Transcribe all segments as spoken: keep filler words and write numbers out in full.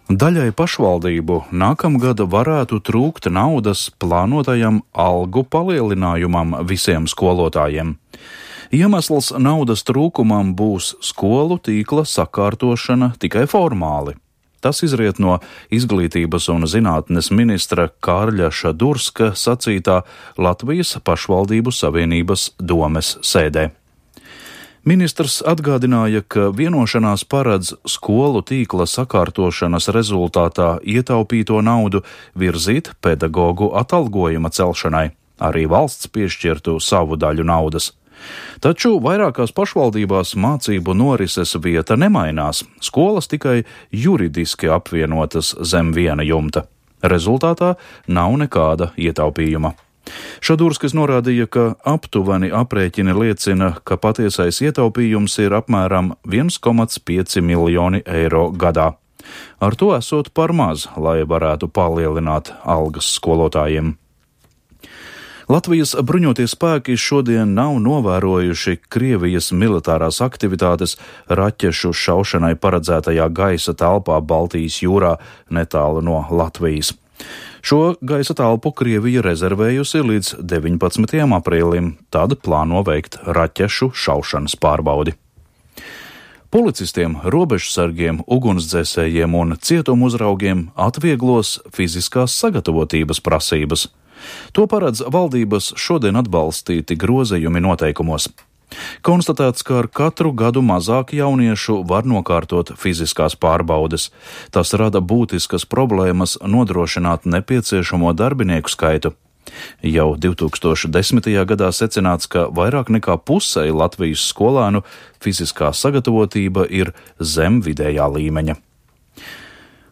Daļai pašvaldību nākamgad varētu trūkt naudas plānotajam algu palielinājumam visiem skolotājiem. Iemesls naudas trūkumam būs skolu tīkla sakārtošana tikai formāli. Tas izriet no Izglītības un zinātnes ministra Kārļa Šadurska sacītā Latvijas pašvaldību savienības domes sēdē. Ministrs atgādināja, ka vienošanās paredz skolu tīkla sakārtošanas rezultātā ietaupīto naudu virzīt pedagogu atalgojuma celšanai, arī valsts piešķirtu savu daļu naudas. Taču vairākās pašvaldībās mācību norises vieta nemainās, skolas tikai juridiski apvienotas zem viena jumta. Rezultātā nav nekāda ietaupījuma. Šadurskis norādīja, ka aptuveni aprēķini liecina, ka patiesais ietaupījums ir apmēram viens komats pieci miljoni eiro gadā. Ar to esot par maz, lai varētu palielināt algas skolotājiem. Latvijas bruņotie spēki šodien nav novērojuši Krievijas militārās aktivitātes raķešu šaušanai paredzētajā gaisa telpā Baltijas jūrā netālu no Latvijas. Šo gaisa telpu Krievija rezervējusi līdz deviņpadsmitajam aprīlim, tad plāno veikt raķešu šaušanas pārbaudi. Policistiem, robežsargiem, ugunsdzēsējiem un cietumu uzraugiem atvieglos fiziskās sagatavotības prasības. To paredz valdības šodien atbalstīti grozījumi noteikumos. Konstatēts, ka ar katru gadu mazāk jauniešu var nokārtot fiziskās pārbaudes. Tas rada būtiskas problēmas nodrošināt nepieciešamo darbinieku skaitu. Jau divi tūkstoši desmitajā gadā secināts, ka vairāk nekā pusei Latvijas skolēnu fiziskā sagatavotība ir zem vidējā līmeņa.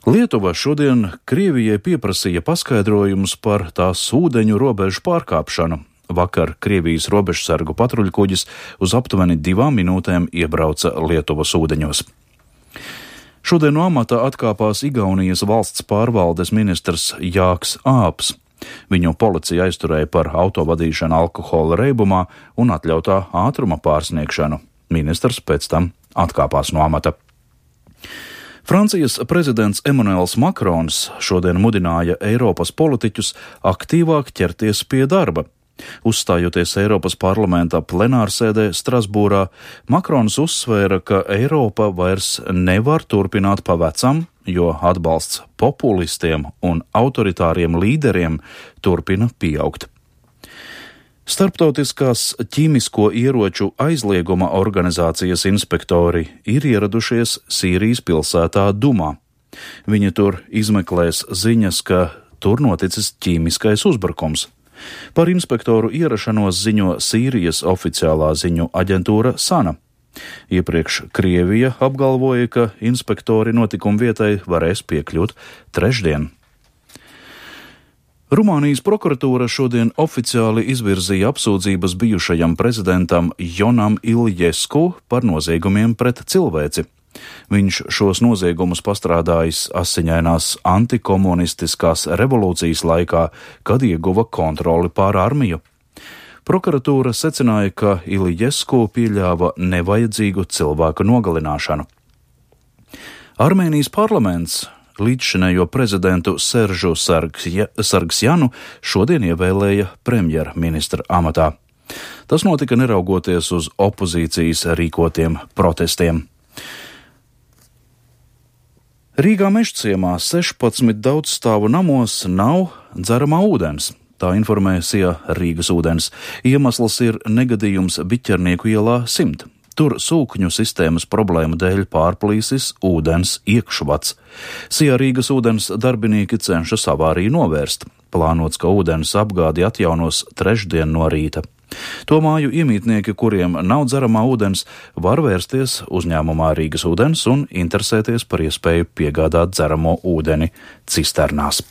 Lietuva šodien Krievijai pieprasīja paskaidrojumus par tās ūdeņu robežu pārkāpšanu. Vakar Krievijas robežsargu patruļkuģis uz aptuveni divām minūtēm iebrauca Lietuvas ūdeņos. Šodien no amata atkāpās Igaunijas valsts pārvaldes ministrs Jāks Āps. Viņu policija aizturēja par autovadīšanu alkohola reibumā un atļautā ātruma pārsniegšanu. Ministrs pēc tam atkāpās no amata. Francijas prezidents Emanuels Makrons šodien mudināja Eiropas politiķus aktīvāk ķerties pie darba. Uzstājoties Eiropas parlamenta plenārsēdē Strasbūrā, Makrons uzsvēra, ka Eiropa vairs nevar turpināt pa vecam, jo atbalsts populistiem un autoritāriem līderiem turpina pieaugt. Starptautiskās ķīmisko ieroču aizlieguma organizācijas inspektori ir ieradušies Sīrijas pilsētā Dumā. Viņi tur izmeklēs ziņas, ka tur noticis ķīmiskais uzbrukums. Par inspektoru ierašanos ziņo Sīrijas oficiālā ziņu aģentūra Sana. Iepriekš Krievija apgalvoja, ka inspektori notikumu vietai varēs piekļūt trešdien. Rumānijas prokuratūra šodien oficiāli izvirzīja apsūdzības bijušajam prezidentam Jonam Iljesku par noziegumiem pret cilvēci. Viņš šos noziegumus pastrādājis asiņainās antikomunistiskās revolūcijas laikā, kad ieguva kontroli pār armiju. Prokuratūra secināja, ka Iljesku pieļāva nevajadzīgu cilvēku nogalināšanu. Armēnijas parlaments līdzšinējo prezidentu Seržu Sargsjanu šodien ievēlēja premjerministra amatā. Tas notika neraugoties uz opozīcijas rīkotiem protestiem. Rīgā Mežciemā sešpadsmit daudzstāvu namos nav dzeramā ūdens. Tā informē Sija Rīgas ūdens. Iemesls ir negadījums Biķernieku ielā simt. Tur sūkņu sistēmas problēmu dēļ pārplīsis ūdens iekšvads. Sija Rīgas ūdens darbinieki cenšas avāriju novērst. Plānots, ka ūdens apgādi atjaunos trešdien no rīta. To māju iemītnieki, kuriem nav dzeramā ūdens, var vērsties uzņēmumā Rīgas ūdens un interesēties par iespēju piegādāt dzeramo ūdeni cisternās.